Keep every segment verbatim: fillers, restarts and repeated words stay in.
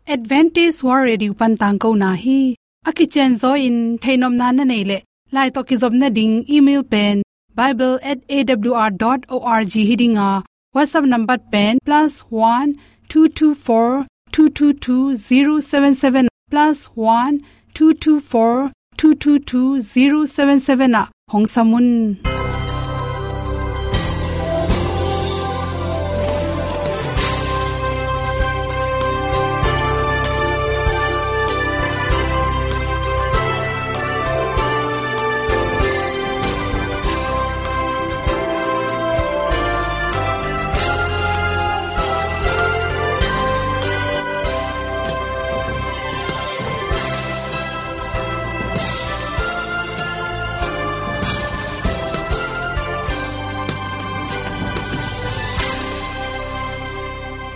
Adventist World Radio pan tangkona hi. A kicianzaw in theihnopna na neih leh, lai tawh kizopna ding email pen bible at A W R dot org hi ding a, WhatsApp number pen plus one two two four two two two zero seven seven, plus one two two four two two two zero seven seven ah hong sam un.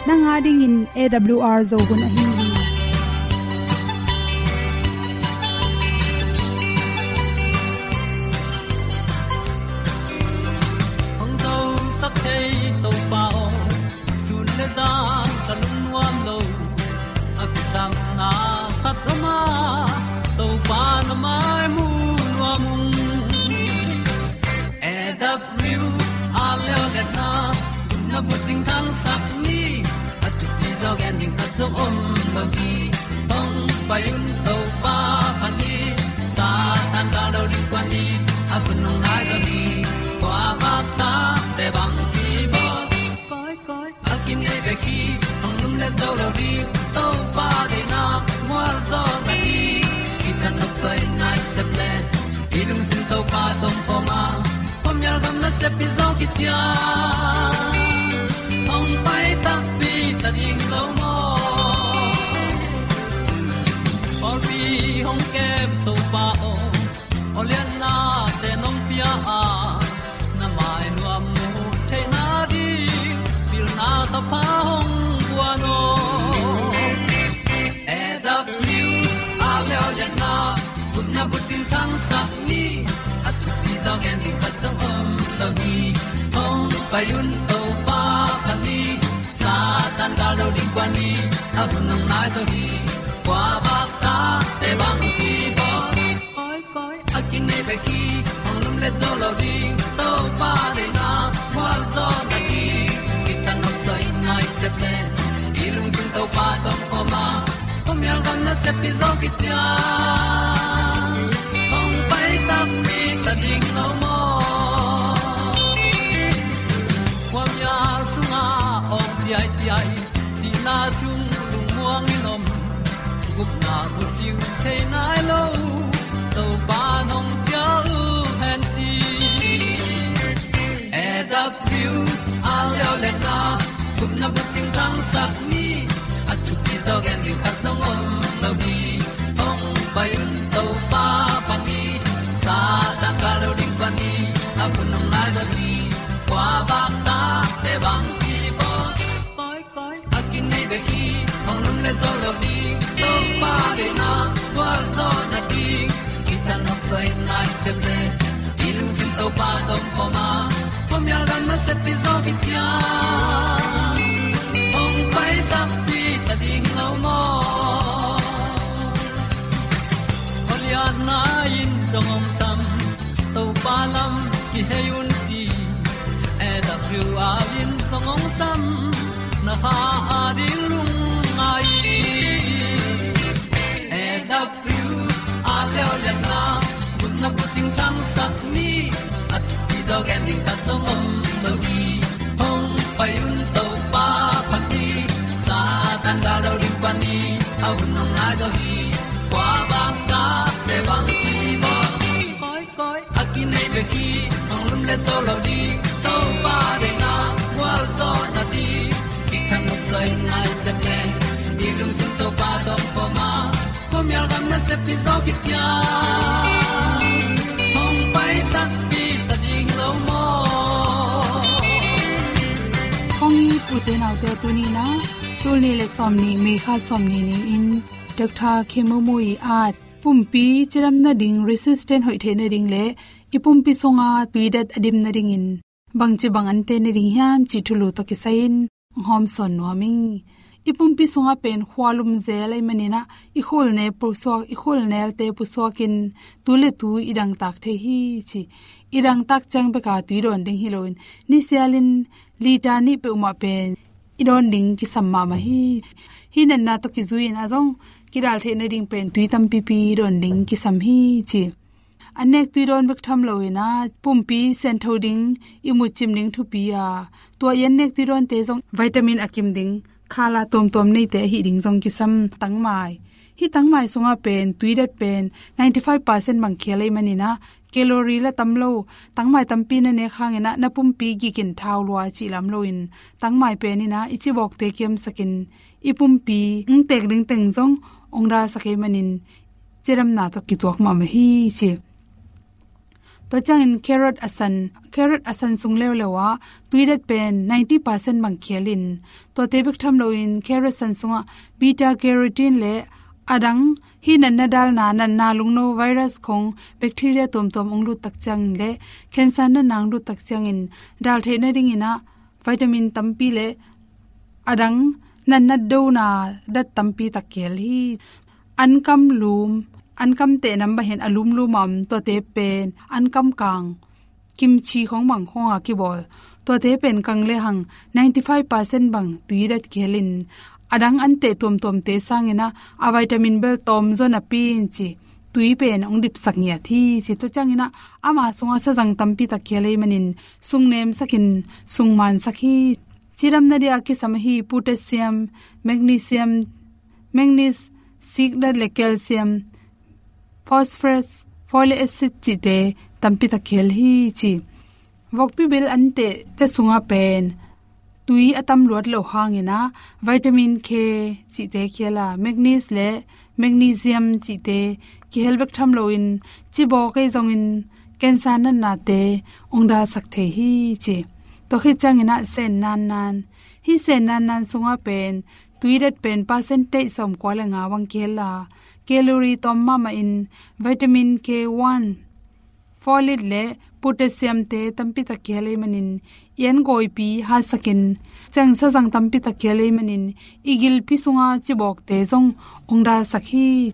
Nang a dingin A W R Zo hun ahi hi. Hong zosak thei Topa aw, sun le zan ka lungnuam lo. A kisangna khat om a, Topa na mai mu nuam ung. A W R leo le na, na bucing thangsak ni, a thupi zaw gen ding khat zong om lo hi. Hong pai un Topa phat ni, Satan ka lo ding kua ni, a hun hong nai zaw ni, kua bak ta te bang ki bawl. Koi, koi, a kinei bek hi, hong lum le zo lo ding, Topa deihna mual zaw na hi. Kitang nok soi nai sep le, i lungsim Topa tawh kawm a, khuamial gam nasep hi zaw kician. Hong pai takpi ta ding lo maw? Pawlpi hong kem Topa aw, aw lianna te nong pia a, na mai nuam mu theihna ding, pilna thapha hong guan aw. A W R leo le na, gupna bucing thangsak ni, a thupi zaw gen ding khat zong om lo hi. Hong pai un Topa phat ni, Satan ka lo ding kua ni, a hun hong nai zaw hi. Kua bak ta te bang ki bawl. Koi, koi, a kinei bek hi, hong lum le zo lo ding, Topa deihna mual zaw na hi. Kitang nok soi nai sep le, i lungsim Topa tawh kawm a, khuamial gam nasep hi zaw kician. Hong pai takpi ta ding lo maw? Khuamial sungah awng ciaiciai, sihna sung lungmuang in om, gupna bucing thei nai lo, Topa nong ciah uh hen ci. A W R leo le na, gupna bucing thangsak ni, a thupi zaw gen ding khat zong om lo hi. Hong pai un Topa phat ni, Satan ka lo ding kua ni, a hun hong nai zaw hi. Kua bak ta te bang ki bawl. Koi, koi, a kinei bek hi, hong lum le zo lo ding, Topa deihna mual zaw na ding. Kitang nok soi nai sep le, i lungsim Topa tawh kawm a, khuamial gam nasep hi zaw kician. Hong pai takpi ta ding lo maw? Aw lianna in zong hong sam, Topa lam kihei un ci. A W R in zong hong sam, na kha a ding lungngai. A W R leo le na, gupna bucing thangsak ni, a thupi zaw gen ding khat zong om lo hi. Hong pai un Topa phat ni, Satan ka lo ding kua ni, a hun hong nai zaw hi. Kua bak ta te bang ki bawl. Koi, koi, a kinei bek hi, hong lum le zo lo ding, Topa deihna mual zaw na ding. Kitang nok soi nai sep le, i lungsim Topa tawh kawm a, khuamial gam nasep hi zaw kician. Hong pai takpi ta ding lo maw? Kong it u te nau te, tuni-in ah, tul nih le sawmnih, May kha sawmnih ni-in, Doctor Khemumu ii at pumpi cidam nading, resistant hoih theih nading le i pumpi sunga tuidat a dim nadingin bangci bang ante nading hiam cih thulu tawh kisai-in hong hawmsawn nuam ing. I pumpi sungah pen khualum zel ahih manin ah, i khulnel pusuak, i khulnelte pusuakin tu le tu i dangtak thei hi ci. I dangtak ciang beka tui dawn ding hi loin, nisialin liter nih peuhmah pen i dawn ding kisam mahmah hi. Hih natna tawh kizui-in a zong kidal theih nading pen tui tampipi dawn ding kisam hi ci. An nek tui dawn bek tham loin ah, pumpi siangtho ding, ihmut cim ding thupi a, tua i an nek tui dawnte zong vitamin a kim ding, khala tuamtuam neite ahi ding zong kisam. Tangmai. Hih tangmai sungah pen tui dat pen ninety five percent bang khial ahih manin ah, calorie la tam lo, tangmai tampi na nek hangin ah na pumpi gikin thau lua cih lam loin, tangmai pen in ah i cibawkte kiamsakin, i pumpi hong tek ding teng zong hong dalsak ahih manin, cidamna tawh kituak mahmah hi ci. Tua ciangin carrot a san, carrot a san sung leuleu ah tui dat pen ninety percent bang khialin, tuate bek tham loin carrot san sungah beta carotene le a dang, hih natna dalna, natna lungno virus khong, bacteria tuamtuam hong lut tak ciangin le cancer natna hong lut tak ciangin dal theih nadingin ah vitamin tampi le a dang natna dona dat tampi tak khial hi. Ankam lum, ankam teh nam bang hen a lumlum a om, tuate pen ankam kang, kimchi khong bang khong a kibawl, tuate pen kang lehang ninety five percent bang tui dat khialin, a dang an teh tuamtuamte sangin ah a vitamin bel tawm zaw napi-in ci, tui pen hong dipsak ngiat hi ci. Tua ciangin ah ama sungah sazang tampi tak khial ahih manin sung nemsakin sung mansak hi. Cidamna dia kisam ahi potassium, magnesium, manganese, sikdat le calcium, phosphorus, folic acid cihte tampi tak khial hi ci. Vokpi bil an tehte sungah pen tui a tam luat loh hangin ah vitamin K cihte khial a, magnesium le magnesium cihte kihel bek tham loin, cibawk ahi zongin cancer natnate hong dalsak thei hi ci. Tua khit ciangin ah sen nannan. Hih sen nannan sungah pen tui dat pen percentage sawmkua le nga bang kihel a, calorie tawm mahmahin vitamin K one, folate le potassium-te tampi tak kihel ahih manin, i an gawipi hatsakin, ciang sazang tampi tak kihel ahih manin, i gilpi sunga cibawkte zong hong dalsak hi.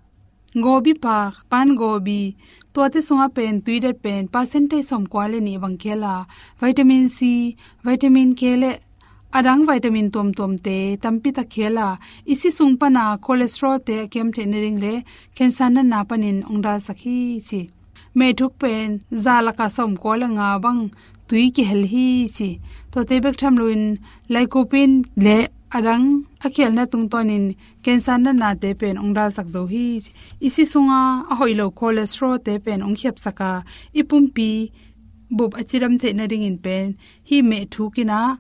Gobi pak, pan gobi, tuate sungah pen tui dat pen percentage sawmkua le nih bang kihel a, vitamin C, vitamin K le a dang vitamin tuamtuamte tampi tak kihel a, i si sung pana cholesterol-te a kiam theih nading le cancer natna panin hong dalsak hi ci. Mehthuk pen za lakah sawmkua le nga bang tui kihel hi ci. Tuate bek tham loin lycopene le a dang a khialna tungtawnin cancer natnate pen hong dalsak zo hi ci. I si sunga a hoih lo cholesterol-te pen hong khiapsak a, i pumpi bup a cidam theih nadingin pen hih mehthuk in ah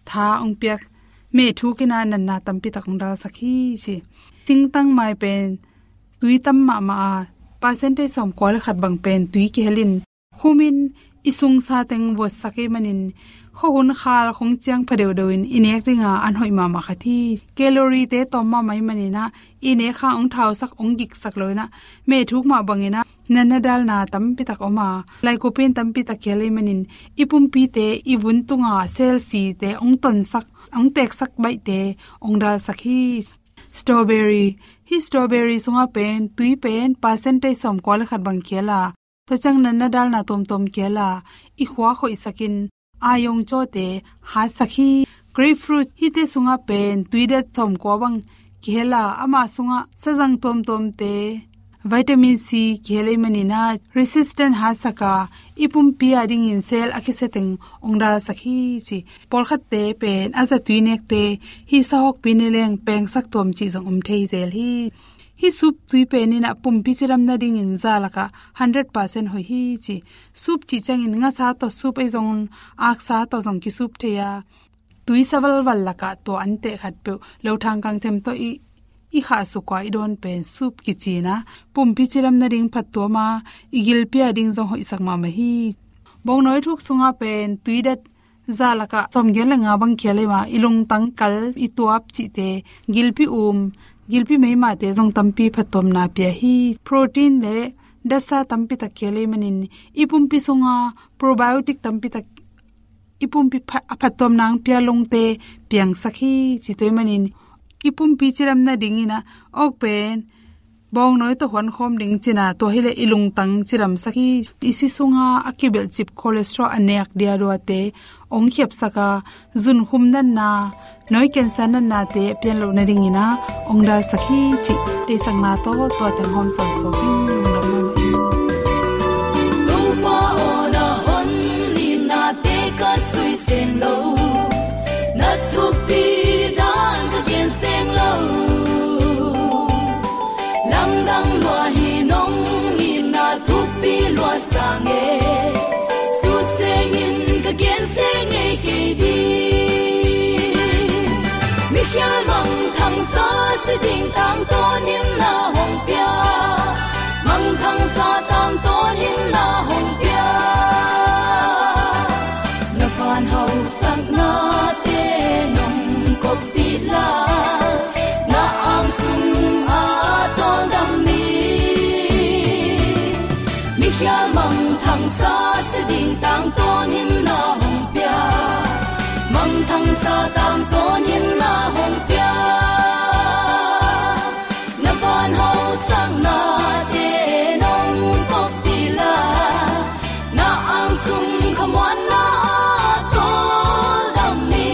tha hong piak, mehthuk in ah natna tampi tak hong dalsak hi ci. Singtangmai pen tui tam mahmah a, percentage sawmkua le khat bang pen tui kihelin, khumin i sungsa teng vuatsak ahih manin, khuahun khal khong ciang pha deuhdeuhin i nek dinga an hoih mahmah khat hi. Calorie-te tawm mahmah ahih manin ah, i nek hang hong thausak, hong giksak lo in ah, mehthuk mah bangin ah natna dalna tampi tak om a, lycopene tampi tak kihel ahih manin, i pumpite, i vun tunga cell-te hong tonsak, hong teksak baihte hong dalsak hi. Strawberry. Hih strawberry sungah pen tui pen percentage sawmkua le khat bang kihel a, tua ciang natna dalna tuamtuam kihel a, i khua khoihsakin, a yong cawte hatsak hi. Grapefruit, hihte sungah pen tui dat sawmkua bang kihel a, ama sungah sazang tuamtuamte, vitamin C kihel ahih manin ah resistant hatsak a, i pumpi a dingin cell a kisia teng hong dalsak hi ci. Pawlkhatte pen a zatui nekte, hih sahawkpi ne leng pengsak tuam cih zong om thei zel hi. Hih soup tui pen in ah pumpi cidam nadingin za lakah hundred percent hoih hi ci. Soup cih ciangin ngasa tawh soup ahi zongin, aksa tawh zong ki-soup thei a, tui sa valval lakah tua an teh khatpeuh, lothang kangthem tawh i, i khahsuk a i dawn pen soup kici in ah, pumpi cidam nading phattuam a, i gilpi a ding zong hoihsak mahmah hi. Bawngnawi thuk sungah pen tui dat za lakah sawmgiat le nga bang kihel ahih manin, i lungtang kal, i tuap cihte, gilpi um, gilpi meimate zong tampi phattuamna pia hi. Protein le datsa tampi tak kihel ahih manin, i pumpi sunga probiotic tampi tak, i pumpi pha-, a phattuamna hong pia lungte piangsak hi ci. Tua ahih manin i pumpi cidam nadingin ah, awk pen bawngnawi tawh huankhawm ding cin ah, tua hileh i lungtang cidamsak hi. I si sunga a kibelhcip cholesterol a nek diaduate hong khiapsak a, zunkhum natna, nawi cancer natnate a pian loh nadingin ah hong dalsak hi cih deihsakna tawh tua teng hawm sawnsawk in lungdam mahmah ing. Topa aw, na hon nitnate ka sui seng lo, na thupi dan ka gen seng lo. Lamdang lua hi, nong itna thupi lua sang e, sut sengin ka gen seng ngei kei ding. Mikhial mangthangsa si ding tangtawnin na hong pia, mangthangsa tangtawnin na hong pia. Na van hausaknate nong koppih la, na ang sung a tawldam mi. Mikhial mangthangsa si ding tangtawnin na hong pia, mangthangsa tangtawnin na hong pia. Na van hausaknate nong koppih la, na ang sung khamuanna a tawldam mi.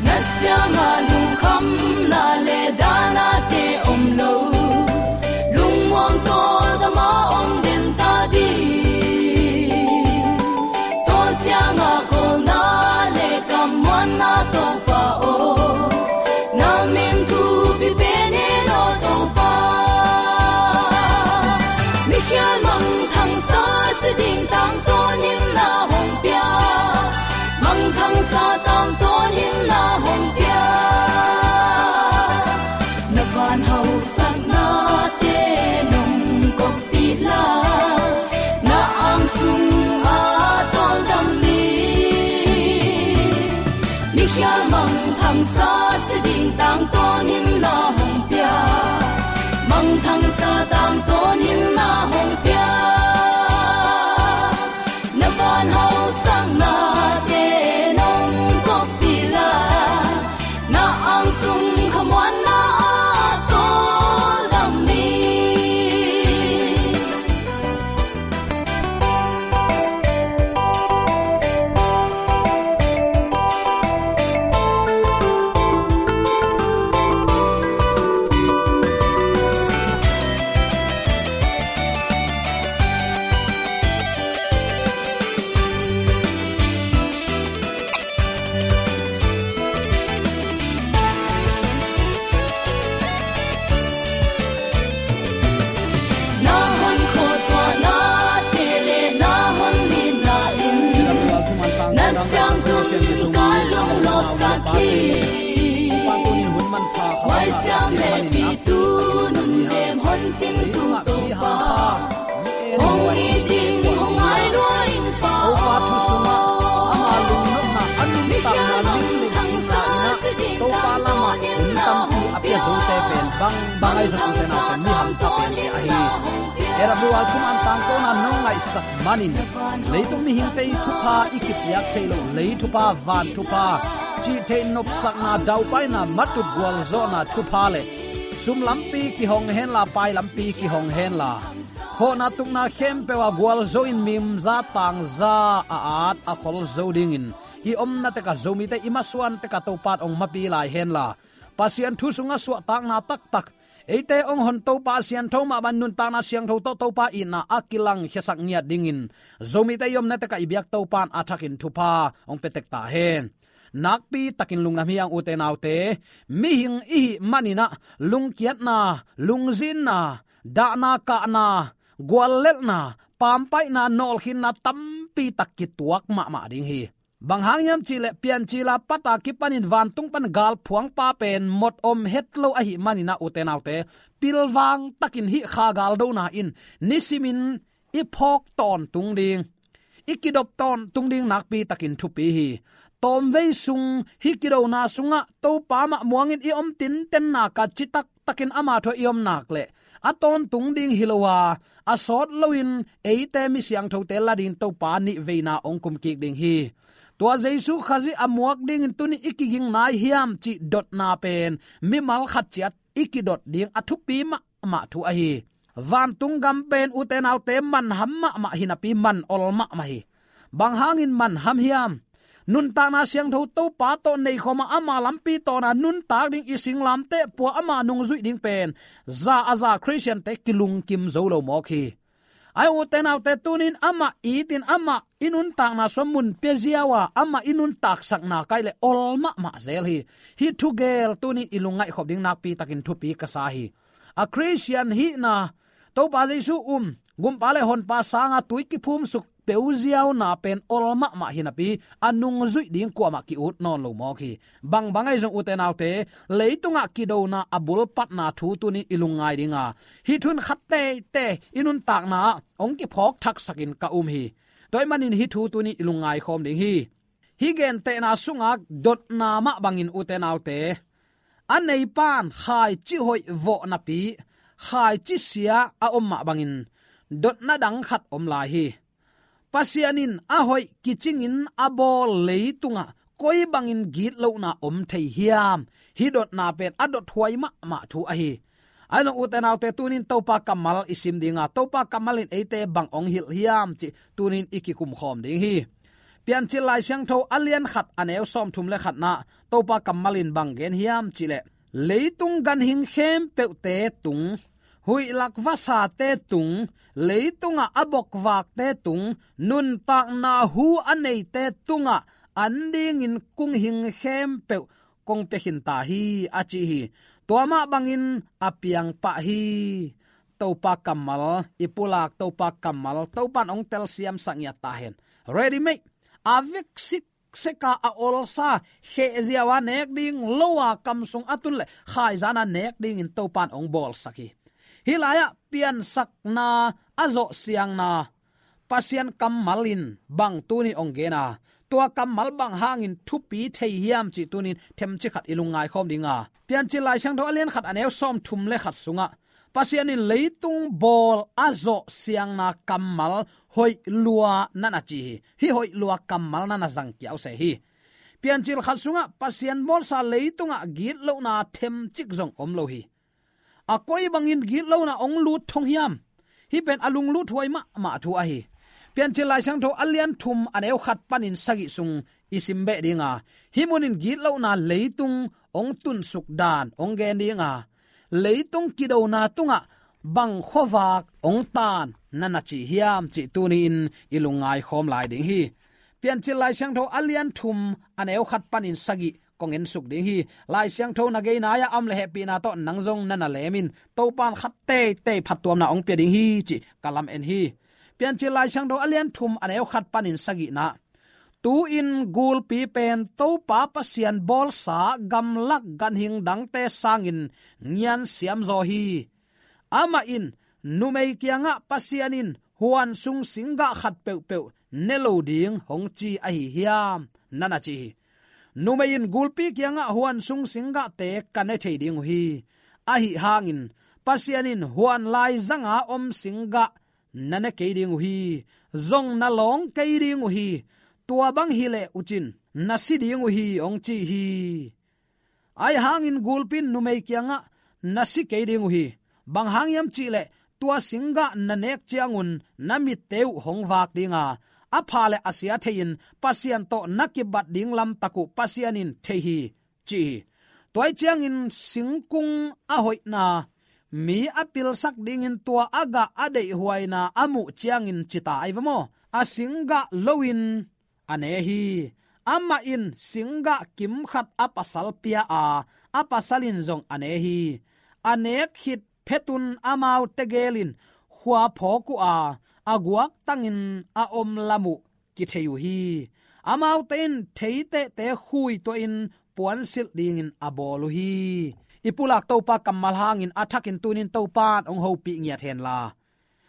Na siangah lungkhamna le dahnate om lo, lungmuang tawldam a om den ta ding. Tawl ciangah kawlna le kammuanna Topa aw, na min thupi pen hi lo Topa. Mikhial mangthangsa si ding tangtawnin na hong pia, mangthangsa tangtawnin na hong pia. Na van hausaknate nong koppih la, na ang sung a tawldam mi. Mikhial mangthangsa si ding tangtawnin na hong pia, mangthangsa tangtawnin na hong pia. Na van hausaknate nong koppih la, na ang sung khamuanna a tawldam mi. Na hon khuatuahnate le na hon nitna in na siangtho ka lungnopsak hi. Huaisiang hehpihtu nunnem hon cingtu Topa, hong it in, hong ngai lua in Pa aw. Topa thu sungah ama lungnopna a nuntakna limlim hihna in ah Topa lamah hun tampi a pia zote pen bangbang ahi zong ute naute, mi hamtha pen hi ahi. A W R thuman tangkona nong ngaihsak manin leitung mihingte ih thupha i kipiak theih loh, lei thupha, van thupha, cih theih nopsakna, daupaina, matut gualzawhna thupha le sum lampi kihong henla, pai lampi kihong henla, khawhna tukna khempeuh ah gualzo in mimza tangza a at a khol zo dingin i omna tekah, Zomite i masuan tekah Topa in hong mapi lai henla, Pasian thu sungah suahtakna taktak, eite hong hon Topa a siangtho mah bang nuntakna siangtho tawh Topa itna a kilangkhiasak ngiat dingin Zomite i omna tekah i biak Topa in a thakin thupha hong pia tek ta hen. Nakpi takin lungdam hi hang ute naute, mihing i hih manin ah lungkiatna, lungzinna, dahna, kahna, guallelhna, pampaihna, nawlkhinna tampi tak kituak mahmah ding hi. Bang hang hiam cihleh Piancil a pat a kipanin vantung pan galphuangpa pen mot om het lo ahih manin ah ute naute, pilvang takin hih kha galdona in nisimin i phawk tawntung ding, i kidop tawntung ding nakpi takin thupi hi. Tawmvei sung hih kidona sungah Topa mah muangin i om tintenna ka citak takin ama thu-ah i om nak leh a tawntung ding hi lo a, a sawt loin eite mi siangthote la dingin Topa nih veina hong kum kik ding hi. Tua Jesu Khazih a muak dingin tuni i kiging nai hiam cih dotna pen mimal khat ciat i kidot ding a thupi mahmah thu ahi. Vantung gam pen ute naute manham mahmah hinapi man ol mahmah hi. Bang hangin manham hiam? Nuntakna siangtho Topa tawh neikhawma ama lampi tawna nuntak ding i singlamteh pua ama nungzuih ding pen za a za Khristiante kilungkim zo lo mawk hi. Ai ute naute tunin amah itin amah i nuntakna sua mun pia ziau a amah i nuntaksakna kai le ol mahmah zel hi. Hih thugel tunin i lungngaihkhop ding nakpi takin thupi ka sa hi. A Khristian hihna, Topa Jesu um, gumpa le honpa sanga tui kiphumsuk peuziauna pen ol mahmah hinapi a nungzuih ding kuamah ki-ut nawn lo mawk hi. Bangbang ahi zong ute naute, leitungah kidona a bulpatna thu tunin i lungngai dinga hih thu in khat teitei i nuntakna ah hong kiphawk thaksakin ka um hi. Tua ahih manin hih thu tunin i lungngai khawm ding hi. Hih gentehna sunga dotna mah bangin ute naute, a neipan khaici hoih vawh napi khaici sia a om mah bangin dotna dang khat om lai hi. Pasian in a hoih kicingin a bawl leitungah koi bangin gitlohna om thei hiam? Hih dotna pen a dothuai mahmah thu ahi. Ahi zong ute naute tunin Topa kammal i sim dinga Topa kammal in eite bang hong hilh hiam cih tunin i kikum khawm ding hi. Piancil Lai Siangtho a lian khat a neu sawmthum le khatna Topa kammal in bang gen hiam cih leh, leitung ganhing khempeuhte tung, huihlak vasate tung, leitungah a bokvakte tung, nuntakna hu a neite tungah an dingin kong hing khempeuh kong pia khin ta hi a ci hi. Tua mah bangin a piang pah hi. Topa kammal, i pulak Topa kammal, Topan hong telsiamsak ngiat ta hen. Ready made. A vek sikseka a olsa, khehziau a nek ding, lo a kam sung a tun le khaizan a nek dingin Topan hong bawlsak hi. Hih lai-ah piansakna a zawh siangna Pasian kammal in bang tunin hong gen a, tua kammal bang hangin thupi thei hiam cih tunin themcik khat i lungngai khawm dinga Piancil Lai Siangtho a lian khat a neu sawmthum le khat sungah Pasian in leitung bawl a zawh siangna kammal hoih lua na na ci hi. Hih hoih lua kammal na na zang kiau se hi. Piancil khat sungah Pasian bawlsa leitungah gitlohna themcik zong om lo hi. A koi bangin gitlohna hong lut thong hiam? Hih pen a lungluthuai mahmah thu ahi. Piancil Lai Siangtho a lian thum a neu khat panin sagih sung i sim beh dinga hih munin gitlohna leitung hong tunsuk dan hong gen dinga leitung kidona tungah bang khuavak hong tan na na ci hiam cih tuni-in i lungngai khawm lai ding hi. Piancil Lai Siangtho a lian thum a neu khat panin sagih kong ensuk ding hi. Lai Siangtho na gei nai-ah a om le hehpihna tawh nang zong na na lem in Topan khat teitei phattuamna hong pia ding hi cih ka lam en hi. Piancil Lai Siangtho a lian thum a neu khat panin sagihna, tu-in gulpi pen Topa Pasian bawlsa gamlak ganhing dangte sangin ngian siamzaw hi. Amah in numei kiangah Pasian in huan sung singgah khat peuhpeuh ne lo ding hong ci ahi hiam na na ci hi. Numei in gulpi kiangah huan sung singgahte ka ne thei ding uh hi. Ahi hangin Pasian in huan laizanga om singgah na ne kei ding uh hi. Zong na lawng kei ding uh hi. Tua bang hileh uh cin na si ding uh hi hong ci hi. Ahi hangin gulpi in numei kiangah na si kei ding uh hi. Bang hang hiam cihleh tua singgah na nek ciangun na mitte uh hong vak dinga a pha le a sia thei-in Pasian tawh na kibat ding lamtak uh Pasian in thei hi ci hi. Tua hi ciangin singkung a hoihna, mi a pilsak dingin tua a gah a deihhuaina a muh ciangin cita ai va maw? A singgah loin a ne hi. Amah in singgah kim khat a pasal pia a, a pasal in zong a ne hi. A nek khit phetun amaute gelin khua phawk uh a, a guaktangin a om lam uh kithei uh hi. Amaute in theitehte khui tuahin puansilh dingin a bawl uh hi. I pulak Topa kammal hangin a thakin tunin Topan hong hopih ngiat henla,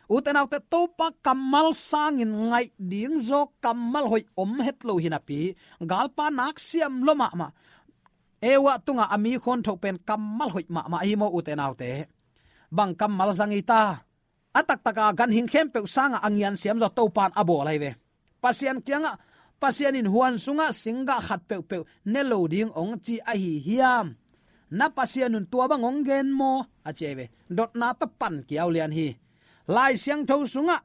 ute naute, Topa kammal sangin ngaih ding zaw kammal hoih om het lo hinapi, galpa nak siam lua mahmah. Eva tungah a mi khuanthoh pen kammal hoih mahmah ahi maw ute naute? Bang kammal zang hi ta? A taktaka ganhing khempeuh sangah a ngian siamzaw Topan a bawl ahi ve. Pasian kiangah Pasian in huan sungah singgah khat peuhpeuh ne lo ding hong ci ahi hiam? Na Pasian un tua bang hong gen maw? A ci ahi ve. Dotna tawh pan kiau lian hi. Lai Siangtho sungah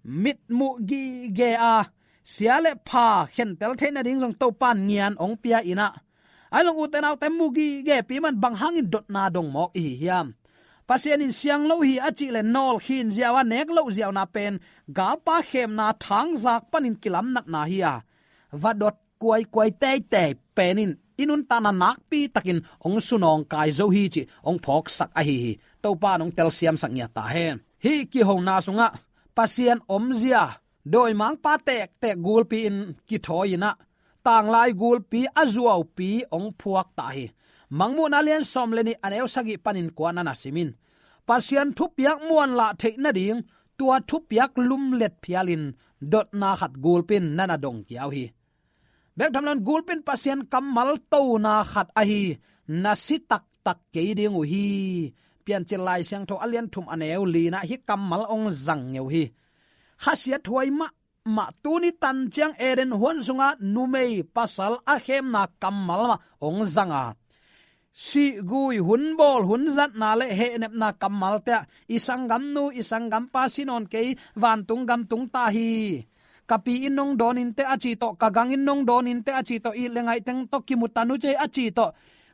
mitmuh gige a, sia le pha khentel theih nading zong Topa in ngian hong pia in ah, ahi zong ute naute, mu gige pi man bang hangin dotna dong mawk i hi hiam? Pasian in siang lo hi a cih le nawl khin ziau a nek loh ziauna pen galpa khemna thangzak panin kilamnatna hi a, va dot kuaikuai teitei pen in i nuntakna nakpi takin hong sunawngkai zo hi cih hong phawksak ahi hi. Topa in hong telsiamsak ngiat ta hen. Hih kihona sungah Pasian omzia dawimangpa tektek gulpi in kithawi in ah, tanglai gulpi a zuaupi hong phuak ta hi. Mangmuhna lian sawm le nih, a neu sagih panin kua na na sim in, Pasian thupiak muanlah theih nading tua thupiak lumlet phialin dotna khat gulpi in na na dong kiau hi. Bek tham loin gulpi in Pasian kammal tona khat ahi, na si taktak kei ding uh hi. Piancil Lai Siangtho a lian thum, a neu li-na hih kammal hong zang ngeu hi. Khasiathuai mahmah, tuni tan ciang Eden huan sungah numei pasal a khemna kammal mah hong zang a, siggui, hun bawl, hun zatna le hehnepna kammalte ah, i sanggamnu, i sanggampa si nawn kei, vantung gam tung ta hi. Ka pi in nong dawn inteh a ci tawh, ka gang in nong dawn inteh a ci tawh, it le ngaih teng tawh kimu ta nu cei a ci tawh,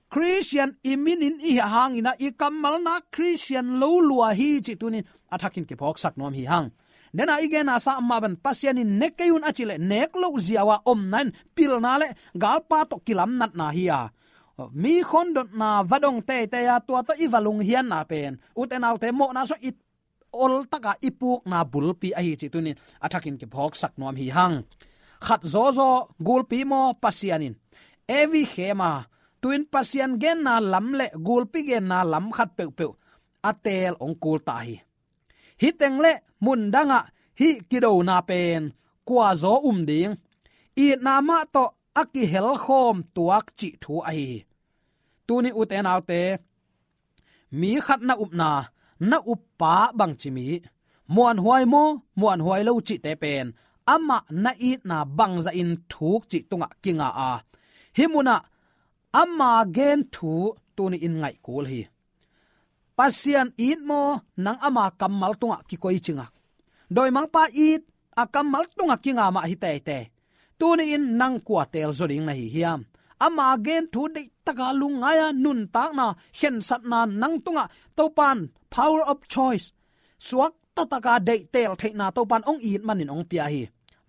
Khristian i min in i hih hangin ah i kammal nak Khristian lo lua hi cih tuni in a thakin kiphawksak nuam hi hang. Dena i genna sa mah bang, Pasian in ne kei un a cih le nek loh ziau a omna in pilna le galpa tawh kilamnatna hi a, mi khondotna va dong teitei a, tua tawh i va lunghianna pen ute naute, mawhna sungah i oltak a i pukna bulpi ahi cih tuni in a thakin kiphawksak nuam hi hang. Khat zawzaw gulpi maw, Pasian in Evi khem a, tu-in Pasian genna lam le gulpi genna lam khat peuhpeuh a teel hong kul ta hi. Hih teng le mundangah hih kidona pen kua zaw um ding, itna mah tawh a kihelkhawm tuak cih thu ahi hi. Tuni ute naute, mi khat na upna, na uppa bangci mi, muanhuai maw, muanhuai lo cihte pen amah na itna bangzahin thuk cih tungah kinga a, hih munah ama gen thu tuni in ngaihkul hi. Pasian it maw, nang ama kammal tungah kikoici ngak. Dawimangpa it, a kammal tungah kinga mah hi teitei. Tuni in nang kua teel zaw ding na hi hiam? Ama gen thu deihtaka lungngai a, nuntakna, khensatna nang tungah Topan power of choice, suakta taka deih teel theihna Topan hong it manin hong pia hi.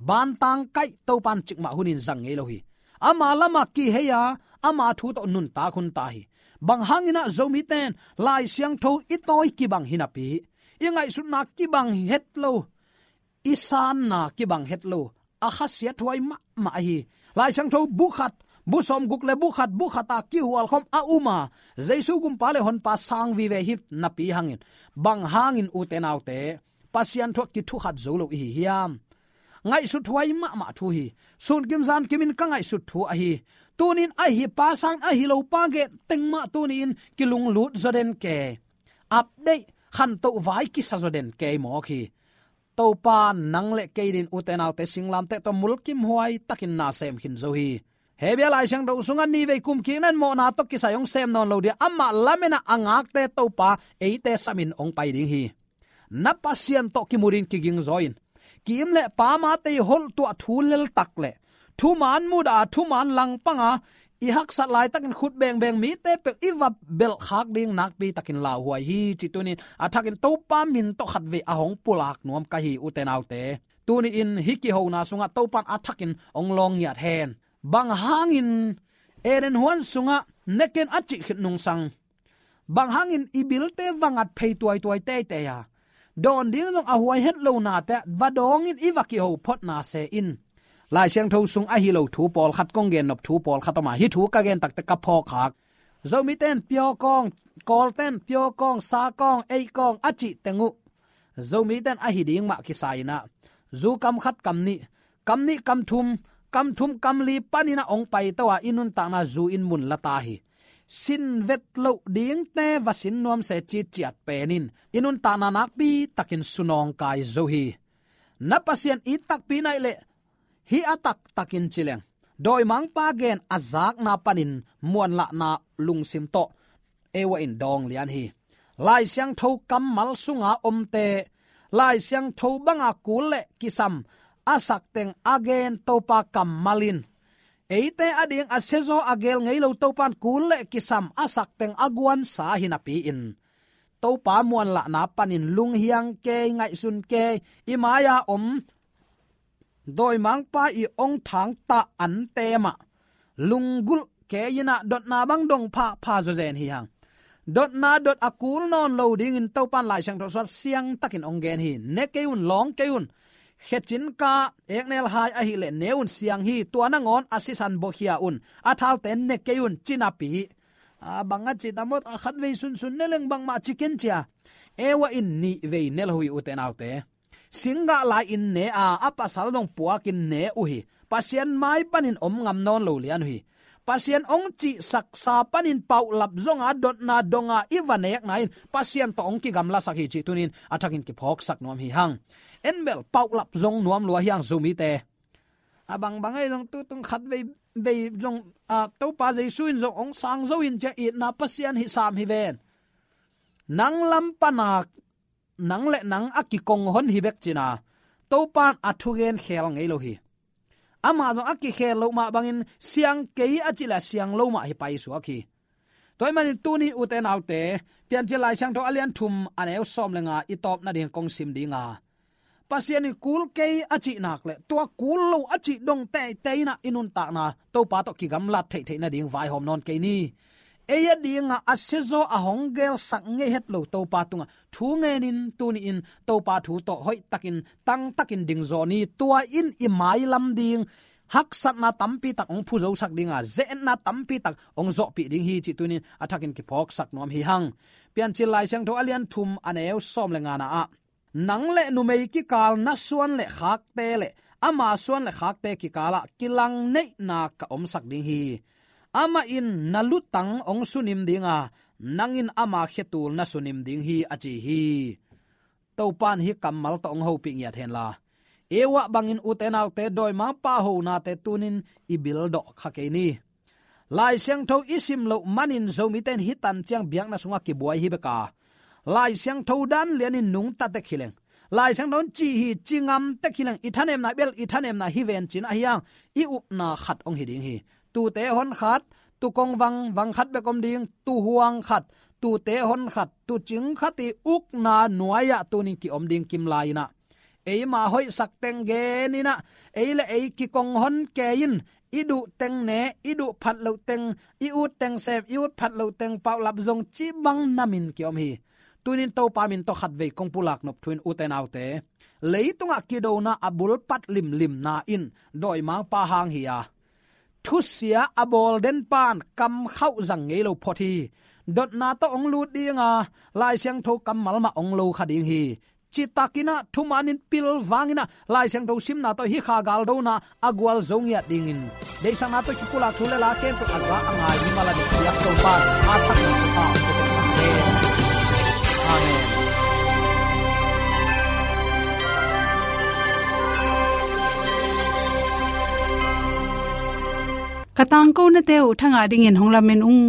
Bantang kaih Topan cikmah hunin zang ngei lo hi. Ama lamah kihei a, ama thu tawh nuntak hun ta hi. Bang hangin ah Zomite in Lai Siangtho i tawi kibang hi napi, i ngaihsutna kibang het lo, i sanna kibang het lo, a khasiathuai mahmah hi. Lai Siangtho bu khat, bu sawmguk le bu khat, bu khat a kihualkhawm a um a, Jesu gumpa le honpa sang vive hi napi hangin, bang hangin ute naute, Pasian thu ah kithukhat zo lo i hi hiam? Ngaihsuthuai mahmah thu hi. Sunkim zankimin ka ngaihsut thu ahi. Tunin ahi pa sang, ahi lo pa gen teng mah tuni in kilunglut zaw den kei. Update, khantoh vai kisa zaw den kei mawk hi. Topa nang le kei din ute naute singlamteh tawh mulkimhuai takin na sem khin zo hi. Hebru Lai Siangtho sungah nivei kumkik nan mawhna tawh kisai hong sem nawn lo dia, amah lamen ah a ngakte Topa eite samin hong pai ding hi. Na Pasian tawh kimu din kiging zaw in, ki-im le pamate i holh tuah thu leltak le thuman mudah a, thuman langpang a, i haksat laitakin khut bengbeng mite peuh i va belhkhak ding nakpi takin lauhuai hi, cih tunin a thakin Topa min tawh khatvei a hong pulak nuam ka hi, ute naute. Tuni in hih kihona sungah Topan a thakin hong lawng ngiat hen. Bang hangin Eden huan sungah ne ken a cih khit nungsang, bang hangin i bilte va ngat phei tuaituai teitei a, dawn ding zong a huai het lonate ah va dawngin i va kiho photna se in, Lai Siangtho sung ahi lo thu pawlkhat kong gennop thu pawlkhat om a, hih thu ka gen takte ka phawk khak. Zomite in pure corn, Kawlte in pure corn, sour corn, ei corn a cih teng uh Zomite in ahi ding mah kisa in ah, zu kam khat kam nih, kam nih kam thum, kam thum kam li panin ah hong paito a, i nuntakna zu in mun la ta hi. Sin vet loh dingte va sin nuam se, citciat pen in i nuntakna nakpi takin sunawngkai zo hi. Na Pasian it takpi na hih leh Hih a taktakin ci leng, dawimangpa gen a zakna panin muanlahna lungsim tawh ei ua in dawng lian hi. Lai Siangtho kammal sunga omte, Lai Siangtho banga kul le kisam a sak teng a gen Topa kammal in, eite ading a siazaw a gel ngei lo Topan kul le kisam a sak teng a guansa hi napi-in, Topa muanlahna panin lunghiang kei, ngaihsun kei, i mai-a om dawimangpa i ong thangta ante mah lunggulh kei in ah dotna bang dong phapha zawzen hi hang. Dotna dot a kul nawn lo dingin Topan Lai Siangtho sungah siangtakin ong gen hi. Ne kei un, lawng kei un. Khecin ka eknel hai ahih leh ne un, siang hi. Tua nangawn a sisan bawkhia un, a thaute ne kei un, ci napi, a bang a ci ta mawk, a khatvei sunsun ne leng bangmah ci ken cia, ei ua in nihvei ne lo hi, ute naute. Singgah lai-in ne a, a pasal dong puakin ne uh hi. Pasian mai panin om ngam nawn lo lian uh hi. Pasian ong cihsaksa panin paulap zonga dotna donga i va nekna in Pasian tawh ong kigamlasak hi cih tuni-in a thakin kiphawksak nuam hi hang. En bel paulap zong nuam lua hi hang Zomite. A bangbang ahi zong tutung khatvei, vei zong, a, Topa Jesu in zong ong sang zo in cia, itna Pasian hi sam hi ven. Nang lam pana nang le nang a kikong hon hi bek cin a, Topan a thugen khel ngei lo hi. Amah zong a kikhel loh mah bangin siang kei a cih leh siang lo mah hi paisuak hi. Tua ahih manin tuni, ute naute, Piancil Lai Siangtho a lian thum a neu sawm le nga i tawp nading kong sim ding a, Pasian in kul kei a cih nak leh tua kul lo a cih dong teitei in ah i nuntakna Topa tawh kigamlat theihtheih nading vaihawm nawn kei ni. Ei adingah a siazaw a hong gelsak ngei het lo Topa tungah thu ngenin tuni-in Topa thu tawh hoihtakin tangtakin dingzaw ni. Tua in i mailam ding haksatna tampi tak ong phuzosak ding a, ze-etna tampi tak ong zawhpih ding hi cih tuni-in a thakin kiphawksak nuam hi hang. Piancil Lai Siangtho a lian thum a neu sawm le ngana ah, nang le numei kikal na suan le khakte le ama suan le khakte kikalah kilangneihna ka omsak ding hi. Amah in na lutang ong sunim ding a, nang in ama khetul na sunim ding hi, a ci hi. Topan hih kammal tawh ong hopih ngiat hen la, ei ua bangin, ute naute, dawimangpa honate tunin i bil dawh kha kei ni. Lai Siangtho i sim loh manin Zomite in hih tan ciang biakna sungah kibuai hi bek a, Lai Siangtho dan lianin nungta tek hi leng, Lai Siangtho in ci hi ci ngam tek hi leng, i thanemna bel i thanemna hi ven cin ahi hang, i upna khat ong hi ding hi. Tute hon khat, tu kong vang, vang khat bek om ding, tu huang khat, tute hon khat, tu cing khat i ukna nuai-ah tunin ki-om ding kim lai-in ah, eima hoihsak teng gen in ah, ei le ei kikong hon kei in, i duh teng ne, i duh phat loh teng, i ut teng sem, i ut phat loh teng paulap zong cih bang namin ki-om hi. Tunin Topa min tawh khatvei kong pulak nop thu in, ute naute, leitungah kidona a bulpat limlimna in dawimangpa hang hi a, thusia a bawl den pan kam khauh zang ngei lo phot hi. Dotna tawh ong lut ding a, Lai Siangtho kammal mah ong lo kha ding hi. Citakin ah thumanin pilvangin ah Lai Siangtho simna tawh hih kha galdona a gualzo ngiat dingin, deihsakna tawh kipulak thu le la khempeuh a za a ngai mimal a ding piak Topa in a thak in thupha ong pia hen. Amen. Ka tangkonate uh thangah dingin hong lamen ung.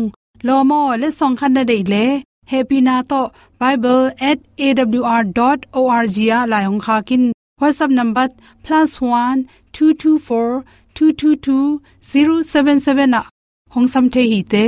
Lawm aw, letsong khat na deih leh, hehpihna tawh bible at A W R dot O R G ah lai hong khak in. WhatsApp number plus one two two four two two two zero seven seven ah hong sam thei hi te.